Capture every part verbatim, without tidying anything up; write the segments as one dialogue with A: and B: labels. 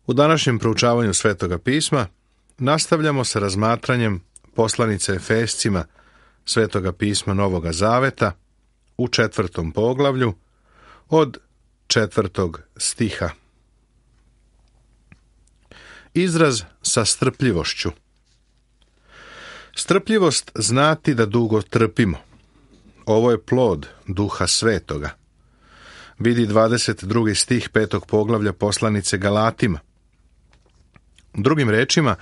A: U današnjem proučavanju Svetoga pisma nastavljamo sa razmatranjem poslanice Efescima Svetoga pisma Novoga Zaveta u četvrtom poglavlju od četvrtog stiha. Izraz sa strpljivošću. Strpljivost znati da dugo trpimo. Ovo je plod Duha Svetoga. Vidi dvadeset drugi stih petog poglavlja poslanice Galatima. Drugim rečima,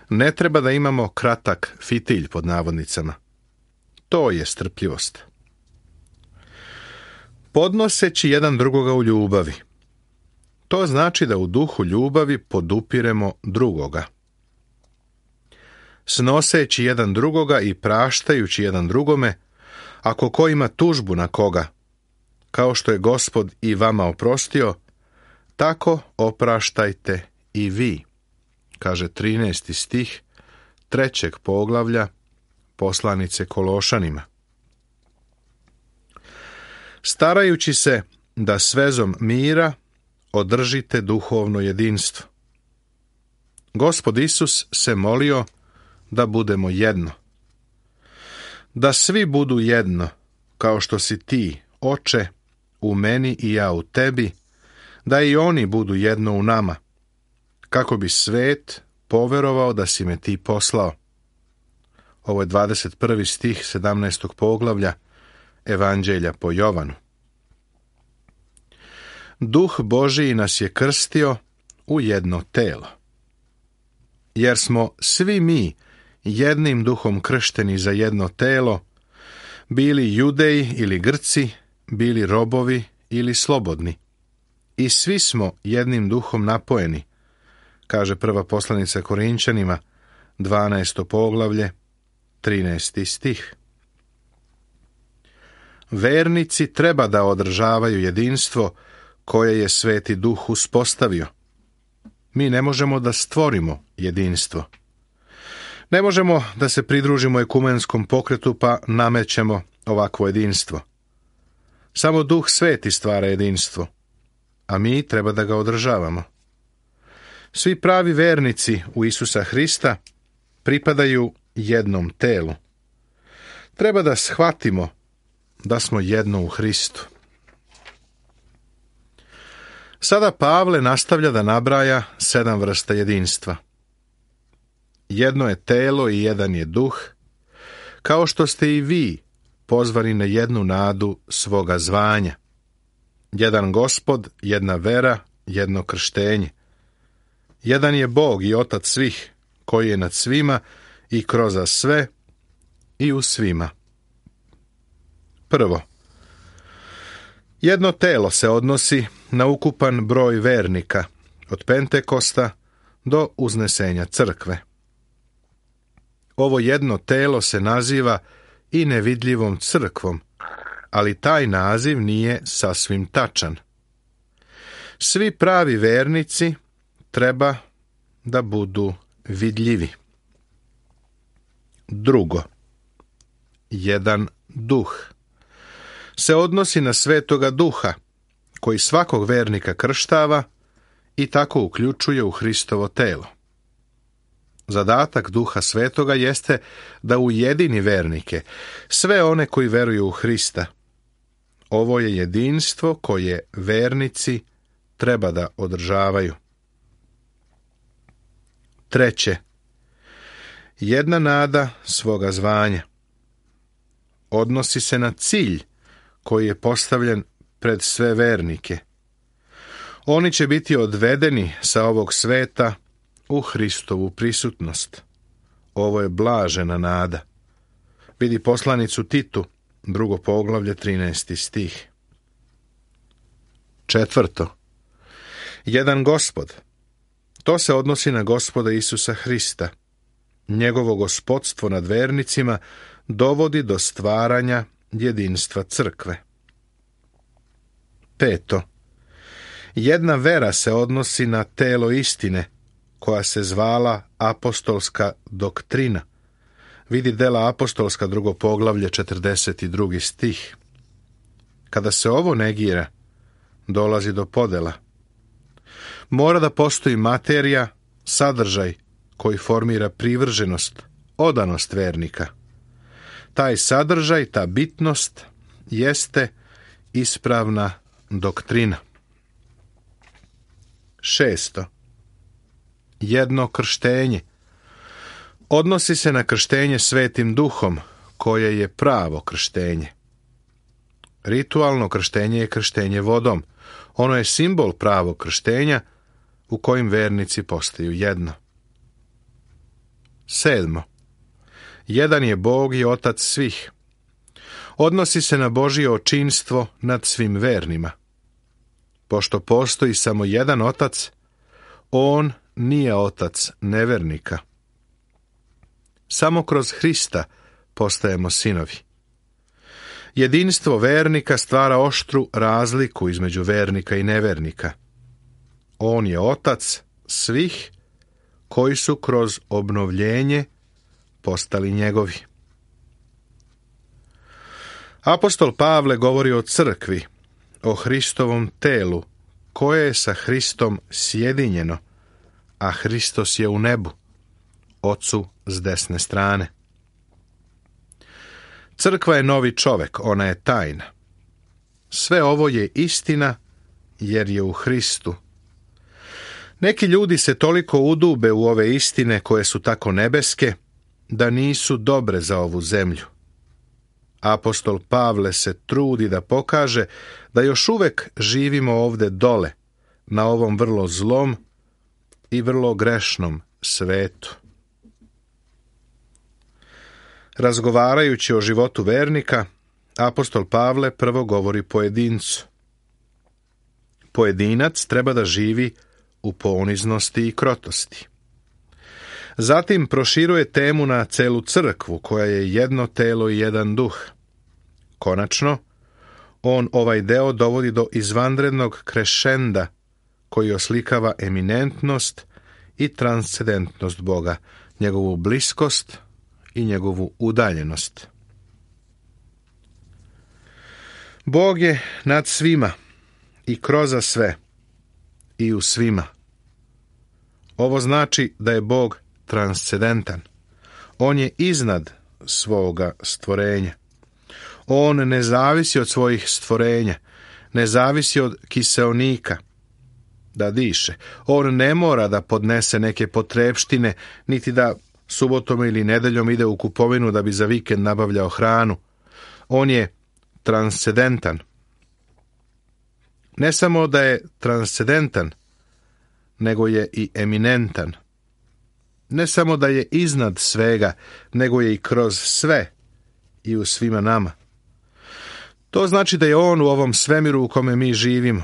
A: ne treba da imamo kratak fitilj pod navodnicama. To je strpljivost. Podnoseći jedan drugoga u ljubavi. To znači da u duhu ljubavi podupiremo drugoga. Snoseći jedan drugoga i praštajući jedan drugome, ako ko ima tužbu na koga, kao što je Gospod i vama oprostio, tako opraštajte i vi, kaže trinaesti stih trećeg poglavlja poslanice Kološanima. Starajući se da s vezom mira održite duhovno jedinstvo. Gospod Isus se molio da budemo jedno. Da svi budu jedno, kao što si ti, Oče, u meni i ja u tebi, da i oni budu jedno u nama, kako bi svet poverovao da si me ti poslao. Ovo je dvadeset prvi stih sedamnaestog poglavlja Evanđelja po Jovanu. Duh Božiji nas je krstio u jedno telo. Jer smo svi mi jednim duhom kršteni za jedno telo, bili Judeji ili Grci, bili robovi ili slobodni. I svi smo jednim duhom napojeni, kaže prva poslanica Korinčanima, dvanaesto poglavlje, trinaesti stih. Vernici treba da održavaju jedinstvo koje je Sveti Duh uspostavio. Mi ne možemo da stvorimo jedinstvo. Ne možemo da se pridružimo ekumenskom pokretu pa namećemo ovakvo jedinstvo. Samo Duh Sveti stvara jedinstvo, a mi treba da ga održavamo. Svi pravi vernici u Isusa Hrista pripadaju jednom telu. Treba da shvatimo da smo jedno u Hristu. Sada Pavle nastavlja da nabraja sedam vrsta jedinstva. Jedno je telo i jedan je duh, kao što ste i vi pozvani na jednu nadu svoga zvanja. Jedan Gospod, jedna vera, jedno krštenje. Jedan je Bog i Otac svih, koji je nad svima i kroz sve i u svima. Prvo, jedno telo se odnosi na ukupan broj vernika, od Pentekosta do uznesenja crkve. Ovo jedno telo se naziva i nevidljivom crkvom, ali taj naziv nije sasvim tačan. Svi pravi vernici treba da budu vidljivi. Drugo, jedan duh se odnosi na Svetoga Duha, koji svakog vernika krštava i tako uključuje u Hristovo telo. Zadatak Duha Svetoga jeste da ujedini vernike, sve one koji veruju u Hrista. Ovo je jedinstvo koje vernici treba da održavaju. Treće, jedna nada svoga zvanja. Odnosi se na cilj koji je postavljen pred sve vernike. Oni će biti odvedeni sa ovog sveta u Hristovu prisutnost. Ovo je blažena nada. Vidi poslanicu Titu, drugo poglavlje, trinaesti stih. Četvrto, jedan Gospod. To se odnosi na Gospoda Isusa Hrista. Njegovo gospodstvo nad vernicima dovodi do stvaranja jedinstva crkve. Peto, jedna vera se odnosi na telo istine, koja se zvala apostolska doktrina. Vidi dela apostolska, drugo poglavlje, četrdeset drugi stih. Kada se ovo negira, dolazi do podela. Mora da postoji materija, sadržaj koji formira privrženost, odanost vernika. Taj sadržaj, ta bitnost jeste ispravna doktrina. Šesto. Jedno krštenje. Odnosi se na krštenje Svetim Duhom, koje je pravo krštenje. Ritualno krštenje je krštenje vodom. Ono je simbol pravog krštenja u kojim vernici postaju jedno. Sedmo. Jedan je Bog i Otac svih. Odnosi se na Božje očinstvo nad svim vernima. Pošto postoji samo jedan Otac, on nije Otac nevernika. Samo kroz Hrista postajemo sinovi. Jedinstvo vernika stvara oštru razliku između vernika i nevernika. On je Otac svih koji su kroz obnovljenje postali njegovi. Apostol Pavle govori o crkvi, o Hristovom telu, koje je sa Hristom sjedinjeno, a Hristos je u nebu, Ocu s desne strane. Crkva je novi čovek, ona je tajna. Sve ovo je istina, jer je u Hristu. Neki ljudi se toliko udube u ove istine koje su tako nebeske, da nisu dobre za ovu zemlju. Apostol Pavle se trudi da pokaže da još uvek živimo ovde dole, na ovom vrlo zlom i vrlo grešnom svetu. Razgovarajući o životu vernika, apostol Pavle prvo govori pojedincu. Pojedinac treba da živi u poniznosti i krotosti. Zatim proširuje temu na celu crkvu, koja je jedno telo i jedan duh. Konačno, on ovaj deo dovodi do izvanrednog krešenda, koji oslikava eminentnost i transcendentnost Boga, njegovu bliskost i njegovu udaljenost. Bog je nad svima i kroz sve i u svima. Ovo znači da je Bog transcendentan. On je iznad svoga stvorenja. On ne zavisi od svojih stvorenja, ne zavisi od kiseonika da diše. On ne mora da podnese neke potrepštine, niti da subotom ili nedeljom ide u kupovinu da bi za vikend nabavljao hranu. On je transcendentan. Ne samo da je transcendentan, nego je i eminentan. Ne samo da je iznad svega, nego je i kroz sve i u svima nama. To znači da je on u ovom svemiru u kome mi živimo.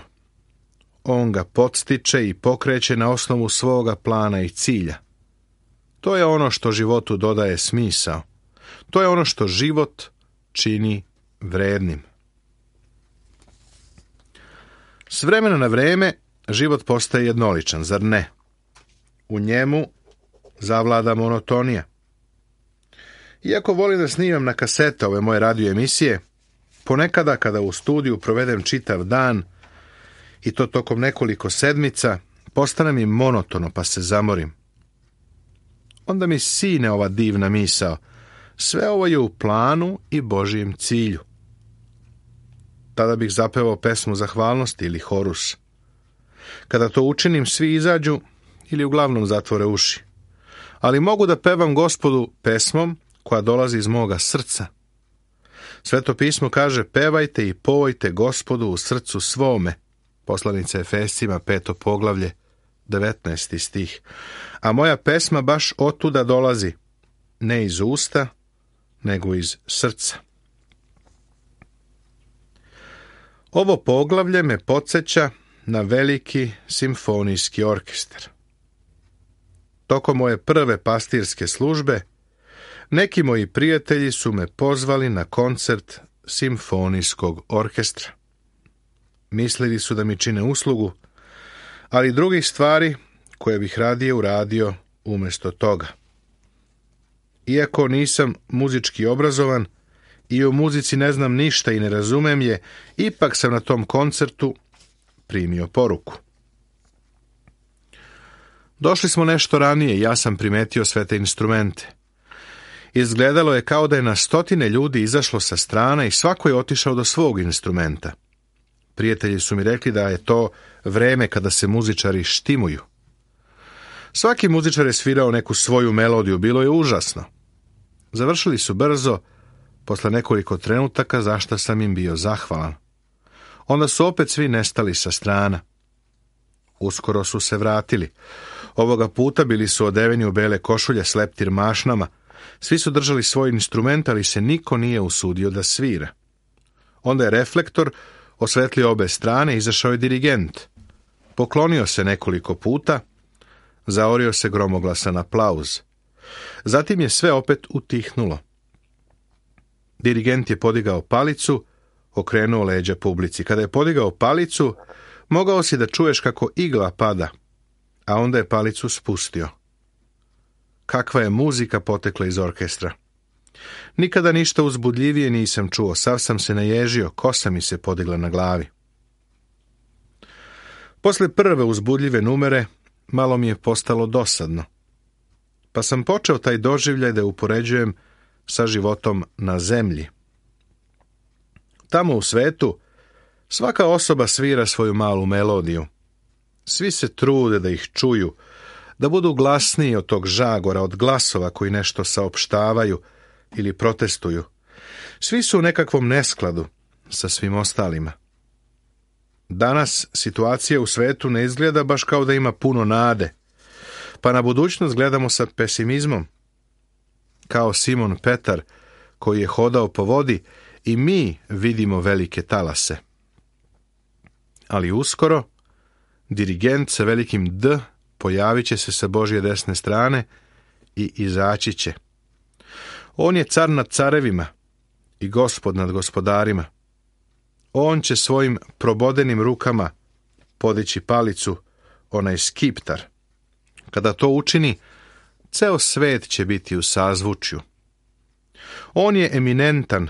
A: On ga podstiče i pokreće na osnovu svoga plana i cilja. To je ono što životu dodaje smisao. To je ono što život čini vrednim. S vremena na vreme život postaje jednoličan, zar ne? U njemu zavlada monotonija. Iako volim da snimam na kasete ove moje radio emisije, ponekada kada u studiju provedem čitav dan i to tokom nekoliko sedmica, postane mi monotono pa se zamorim. Onda mi sine ova divna misao: sve ovo je u planu i Božijem cilju. Tada bih zapevao pesmu zahvalnosti ili horus. Kada to učinim, svi izađu ili uglavnom zatvore uši. Ali mogu da pevam Gospodu pesmom koja dolazi iz moga srca. Sveto pismo kaže: pevajte i povojte Gospodu u srcu svome. Poslanica Efescima, peto poglavlje, devetnaesti stih. A moja pesma baš otuda dolazi, ne iz usta, nego iz srca. Ovo poglavlje me podsjeća na veliki simfonijski orkestar. Tokom moje prve pastirske službe, neki moji prijatelji su me pozvali na koncert simfonijskog orkestra. Mislili su da mi čine uslugu, ali drugih stvari koje bih radije uradio umjesto toga. Iako nisam muzički obrazovan i o muzici ne znam ništa i ne razumem je, ipak sam na tom koncertu primio poruku. Došli smo nešto ranije i ja sam primetio sve te instrumente. Izgledalo je kao da je na stotine ljudi izašlo sa strana i svako je otišao do svog instrumenta. Prijatelji su mi rekli da je to vreme kada se muzičari štimuju. Svaki muzičar je svirao neku svoju melodiju, bilo je užasno. Završili su brzo, posle nekoliko trenutaka, za šta sam im bio zahvalan. Onda su opet svi nestali sa strana. Uskoro su se vratili. Ovoga puta bili su odeveni u bele košulje s leptir mašnama. Svi su držali svoj instrument, ali se niko nije usudio da svira. Onda je reflektor osvetlio obe strane i izašao je dirigent. Poklonio se nekoliko puta, zaorio se gromoglasan aplauz. Zatim je sve opet utihnulo. Dirigent je podigao palicu, okrenuo leđa publici. Kada je podigao palicu, mogao si da čuješ kako igla pada, a onda je palicu spustio. Kakva je muzika potekla iz orkestra. Nikada ništa uzbudljivije nisam čuo, sav sam se naježio, kosa mi se podigla na glavi. Posle prve uzbudljive numere, malo mi je postalo dosadno. Pa sam počeo taj doživljaj da upoređujem sa životom na zemlji. Tamo u svetu svaka osoba svira svoju malu melodiju. Svi se trude da ih čuju, da budu glasniji od tog žagora, od glasova koji nešto saopštavaju ili protestuju. Svi su u nekakvom neskladu sa svim ostalima. Danas situacija u svetu ne izgleda baš kao da ima puno nade, pa na budućnost gledamo sa pesimizmom. Kao Simon Petar, koji je hodao po vodi, i mi vidimo velike talase. Ali uskoro, dirigent sa velikim D pojavit će se sa Božje desne strane i izaći će. On je car nad carevima i gospod nad gospodarima. On će svojim probodenim rukama podići palicu, onaj skiptar. Kada to učini, ceo svet će biti u sazvučju. On je eminentan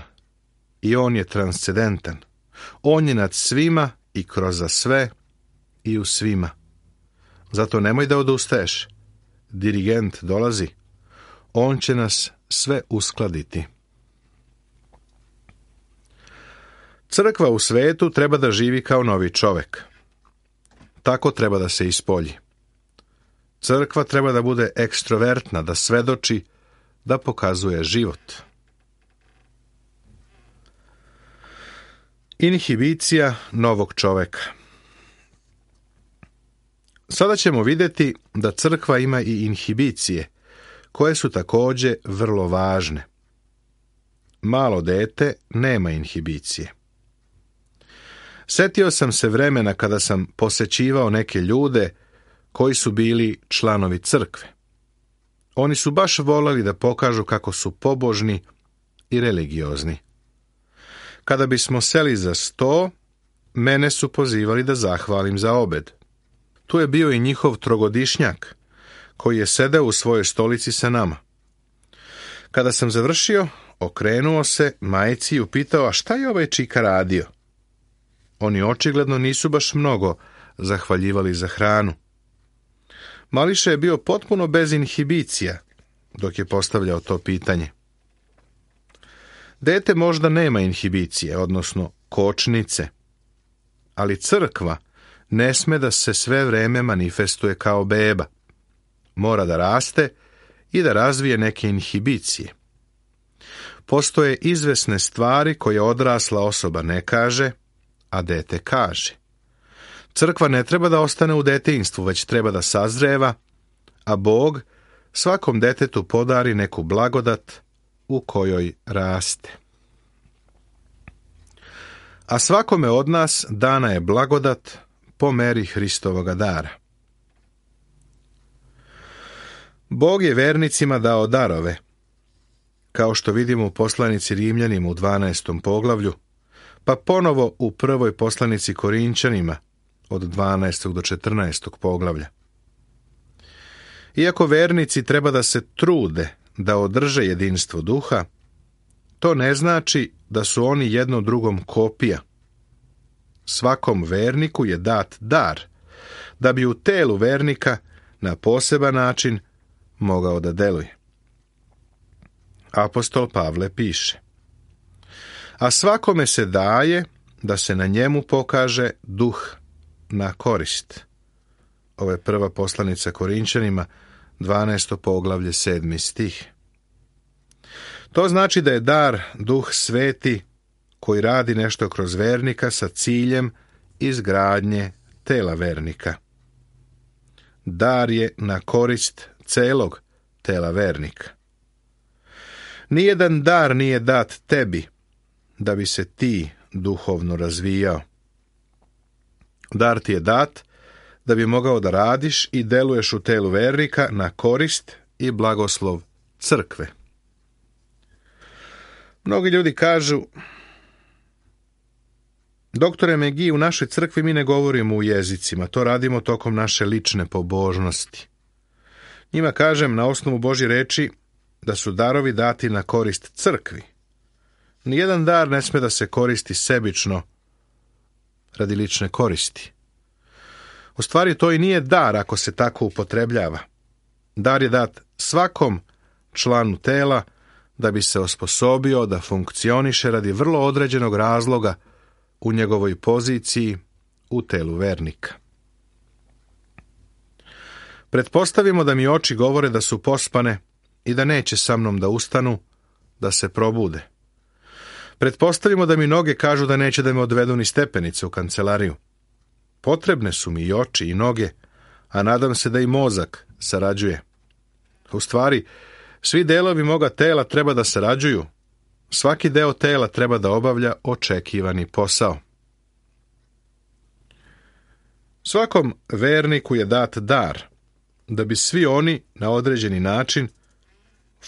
A: i on je transcendentan. On je nad svima i kroz sve i u svima. Zato nemoj da odustaješ. Dirigent dolazi. On će nas sve uskladiti. Crkva u svetu treba da živi kao novi čovek. Tako treba da se ispolji. Crkva treba da bude ekstrovertna, da svedoči, da pokazuje život. Inhibicija novog čoveka. Sada ćemo vidjeti da crkva ima i inhibicije, koje su također vrlo važne. Malo dete nema inhibicije. Setio sam se vremena kada sam posećivao neke ljude koji su bili članovi crkve. Oni su baš voleli da pokažu kako su pobožni i religiozni. Kada bismo seli za sto, mene su pozivali da zahvalim za obed. Tu je bio i njihov trogodišnjak, koji je sedeo u svojoj stolici sa nama. Kada sam završio, okrenuo se majci i upitao, a šta je ovaj čika radio? Oni očigledno nisu baš mnogo zahvaljivali za hranu. Mališa je bio potpuno bez inhibicija dok je postavljao to pitanje. Dete možda nema inhibicije, odnosno kočnice, ali crkva ne sme da se sve vreme manifestuje kao beba. Mora da raste i da razvije neke inhibicije. Postoje izvesne stvari koje odrasla osoba ne kaže, a dete kaže. Crkva ne treba da ostane u detinjstvu, već treba da sazreva, a Bog svakom detetu podari neku blagodat u kojoj raste. A svakome od nas dana je blagodat po meri Hristovoga dara. Bog je vernicima dao darove, kao što vidimo u poslanici Rimljanima u dvanaestom poglavlju, pa ponovo u prvoj poslanici Korinčanima od dvanaestog do četrnaestog poglavlja. Iako vernici treba da se trude da održe jedinstvo duha, to ne znači da su oni jedno drugom kopija. Svakom verniku je dat dar, da bi u telu vernika na poseban način mogao da deluje. Apostol Pavle piše: a svakome se daje da se na njemu pokaže duh na korist. Ovo je prva poslanica Korinćanima, dvanaesto poglavlje, sedmi stih. To znači da je dar Duh Sveti koji radi nešto kroz vernika sa ciljem izgradnje tela vernika. Dar je na korist celog tela vernika. Nijedan dar nije dat tebi da bi se ti duhovno razvijao. Dar ti je dat da bi mogao da radiš i deluješ u telu vernika na korist i blagoslov crkve. Mnogi ljudi kažu: doktore Megi, u našoj crkvi mi ne govorimo u jezicima, to radimo tokom naše lične pobožnosti. Njima kažem na osnovu Božje reči da su darovi dati na korist crkvi. Nijedan dar ne sme da se koristi sebično radi lične koristi. U stvari to i nije dar ako se tako upotrebljava. Dar je dat svakom članu tela da bi se osposobio da funkcioniše radi vrlo određenog razloga u njegovoj poziciji u telu vernika. Pretpostavimo da mi oči govore da su pospane i da neće sa mnom da ustanu, da se probude. Pretpostavimo da mi noge kažu da neće da me odvedu ni stepenice u kancelariju. Potrebne su mi i oči i noge, a nadam se da i mozak sarađuje. U stvari, svi delovi moga tela treba da sarađuju. Svaki deo tela treba da obavlja očekivani posao. Svakom verniku je dat dar, da bi svi oni na određeni način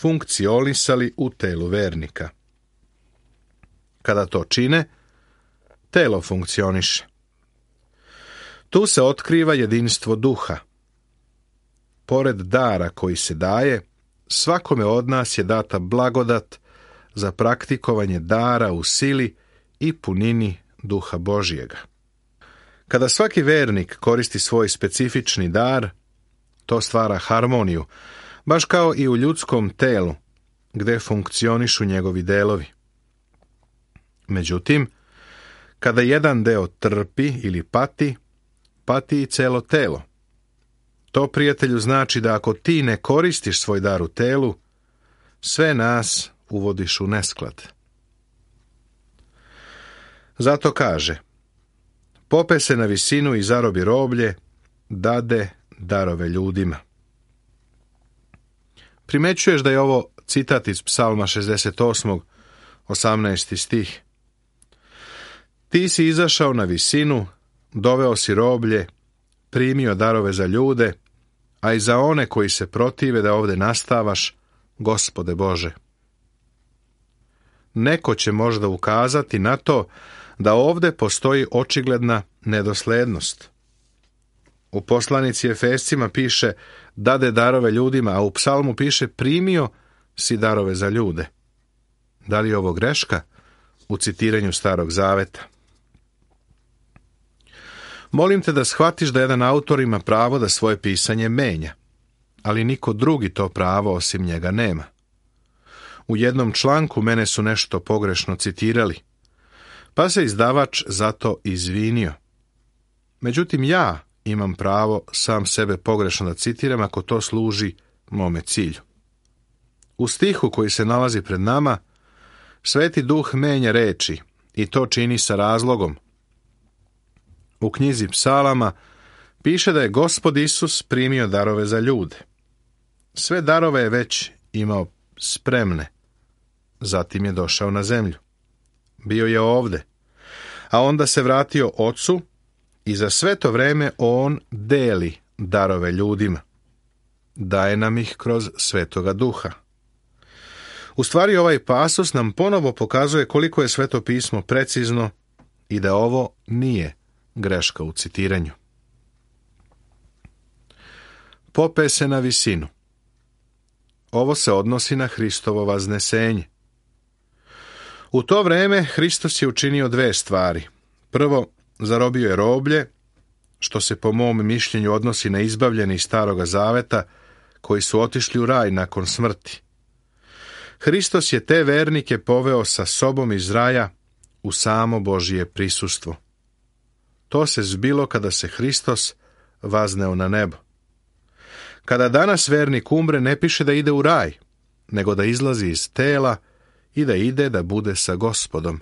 A: funkcionisali u telu vernika. Kada to čine, telo funkcioniše. Tu se otkriva jedinstvo duha. Pored dara koji se daje, svakome od nas je data blagodat za praktikovanje dara u sili i punini duha Božjega. Kada svaki vernik koristi svoj specifični dar, to stvara harmoniju, baš kao i u ljudskom telu, gde funkcionišu njegovi delovi. Međutim, kada jedan deo trpi ili pati, pati i celo telo. To, prijatelju, znači da ako ti ne koristiš svoj dar u telu, sve nas uvodiš u nesklad. Zato kaže: pope se na visinu i zarobi roblje, dade darove ljudima. Primećuješ da je ovo citat iz Psalma šezdeset osam, osamnaesti stih. Ti si izašao na visinu, doveo si roblje, primio darove za ljude, a i za one koji se protive da ovde nastavaš, Gospode Bože. Neko će možda ukazati na to da ovde postoji očigledna nedoslednost. U poslanici Efescima piše dade darove ljudima, a u psalmu piše primio si darove za ljude. Da li je ovo greška u citiranju Starog Zaveta? Molim te da shvatiš da jedan autor ima pravo da svoje pisanje menja, ali niko drugi to pravo osim njega nema. U jednom članku mene su nešto pogrešno citirali, pa se izdavač zato izvinio. Međutim, ja imam pravo sam sebe pogrešno da citiram ako to služi mome cilju. U stihu koji se nalazi pred nama, Sveti Duh menja reči i to čini sa razlogom. U knjizi Psalama piše da je Gospod Isus primio darove za ljude. Sve darove je već imao spremne. Zatim je došao na zemlju. Bio je ovde, a onda se vratio Ocu i za sve to vreme on deli darove ljudima. Daje nam ih kroz Svetoga Duha. U stvari ovaj pasus nam ponovo pokazuje koliko je Sveto pismo precizno i da ovo nije greška u citiranju. Pope se na visinu. Ovo se odnosi na Hristovo vaznesenje. U to vreme Hristos je učinio dve stvari. Prvo, zarobio je roblje, što se po mom mišljenju odnosi na izbavljene iz Staroga Zaveta, koji su otišli u raj nakon smrti. Hristos je te vernike poveo sa sobom iz raja u samo Božije prisustvo. To se zbilo kada se Hristos vazneo na nebo. Kada danas vernik umre, ne piše da ide u raj, nego da izlazi iz tela i da ide da bude sa Gospodom.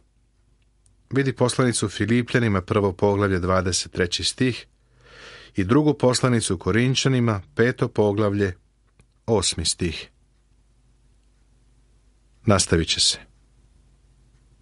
A: Vidi poslanicu Filipljanima, prvo poglavlje, dvadeset treći stih, i drugu poslanicu Korinčanima, peto poglavlje, osmi stih. Nastavit će se.